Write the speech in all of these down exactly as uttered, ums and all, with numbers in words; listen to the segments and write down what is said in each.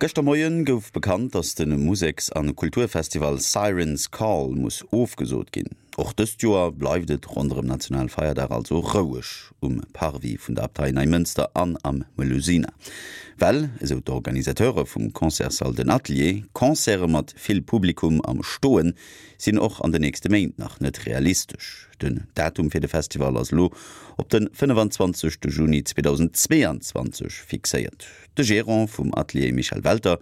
Gëschter Moien gouf bekannt, datt de Museks- an Kulturfestival Siren's Call muss ofgesot ginn. Och dëst Joer bleift et ronderëm Nationalfeierdag also roueg um Parvis vun der Abtei Neimënster an am Melusina. Well, esou d'Organisateure vum Concertssall den Atelier, Concerte mat vill Publikum am Stoen sinn och an den nächste Méint nach net realistesch. Den Datum fir de Festival ass lo op de fënnefenzwanzegste Juni zweedausendzweeanzwanzeg fixéiert. De Gerant vum Atelier Michel Welter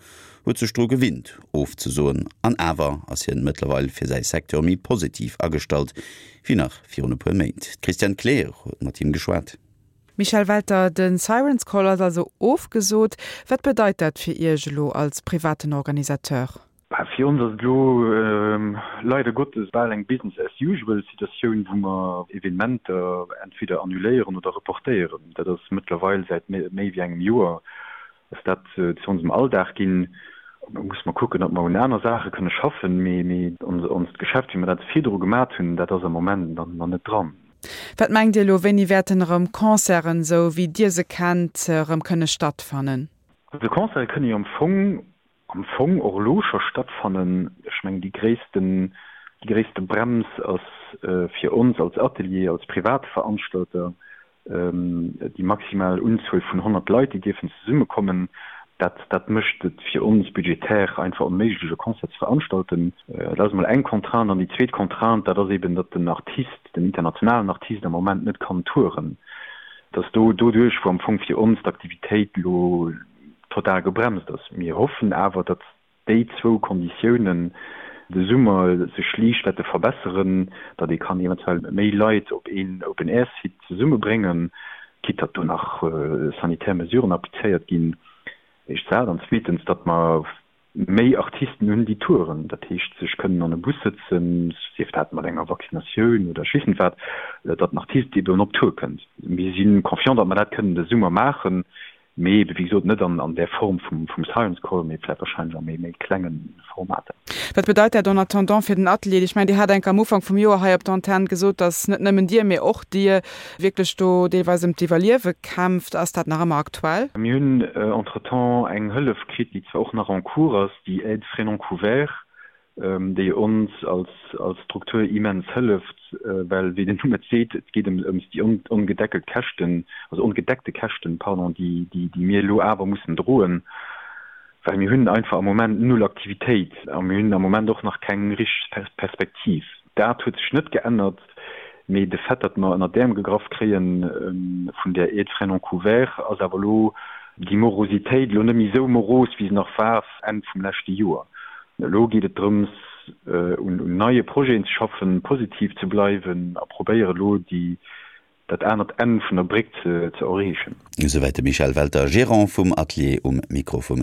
huet sech dru gewinnt ofzesoen an awer ass hien mëttlerweil fir säi Secteur méi positiv agestallt wéi nach virun e puer Méint. D'Christiane Kleer huet mat him geschwat. Michel Welter, den Siren's Call ass also ofgesot. Wat bedeit dat fir Iech elo als privaten Organisateur? Fir ons ass et elo leider Gottes bal eng Business as usual Situatioun, wou mer Evenementer entweder annuléieren oder reportéieren. Dat ass mëttlerweil säit méi wéi engem Joer ass dat zu onsem Alldag ginn. Da muss mer kucken, datt mer un aner Saache kënne schaffen, mee mee onst Geschäft, wéi mer dat virdru gemat hunn, dat ass am Moment dann nach net dran. Wat mengt Dir elo, wéini wäerten erëm Concerten, esou wéi Dir se kennt, erëm kënne stattfannen? Also Concerte kënne jo am Fong am Fong och elo scho stattfannen. Ech mengen déi gréissten déi gréisste Brems ass fir ons als Atelier, als Privatveranstalter déi maximal Unzuel vun honnert Leit, déi dierfen zesummekommen. Dat dat mécht et fir ons budgetär einfach onméiglech, e Concert ze veranstalten. Dat ass emol eng Contrainte. An déi zweet Contrainte, dat ass eben, datt den Artist, den internationalen Artist am Moment net kann touren. Dat ass do doduerch, wou am Fong fir ons d'Aktivitéit elo total gebremst ass. Mir hoffen awer, datt déi zwou Konditiounen de Summer sech liicht wäerte verbesseren, datt ee kann eventuell méi Leit op een Open-Air-Site zesummebréngen, quitte datt do nach sanitär Mesuren applizéiert ginn, éischt dat, an zweetens, datt mer méi Artisten hunn, déi touren, dat heescht sech kënnen an e Bus sëtzen, sief dat mat enger Vaccinatioun oder ech weess net wat, datt den Artist eben op Tour kënnt. Mir si confiant, datt mer dat kënnen de Summer maachen, mee ebe wéi gesot net an där Form vum Science Call, mee vläicht wahrscheinlech a méi klenge Formater. Wat bedeit dat en attendant fir den Atelier? Ech mengen, Dir hat enk am Ufank vum Joer hei op der Antenn gesot, datt net nëmmen Dir, mee och Dir wierklech do deelweis ëm d'Iwwerliewe kämpft. Ass dat nach ëmmer aktuell? Mir hunn entretemps eng Hëllef kritt, déi zwar och nach en cours ass, déi Aide frais non couverts, déi ons als als Struktur immens hëlleft, well wéi den Numm et seet, et geet ëm ëms déi ongedeckelt Käschten, also ongedeckte Käschten, pardon, déi déi déi mir elo awer mussen droen, well mir hunn einfach am Moment null Aktivitéit a mir hunn am Moment och nach keng richteg Perspektiv. Dat huet sech net geännert, mee de Fait, datt mer ënner d'Äerm gegraff kréie vun där Aide frais non couverts, ass awer elo déi Morositéit elo net méi esou moros, wéi se nach war Enn vum leschte Joer. Elo geet et drëms, un neie Projeten ze schaffen, positiv ze bleiwen a probéieren elo déi dat anert Enn vun der Bréck ze erreechen. Esouwäit de Michel Welter, Gerant vum Atelier um Mikro vum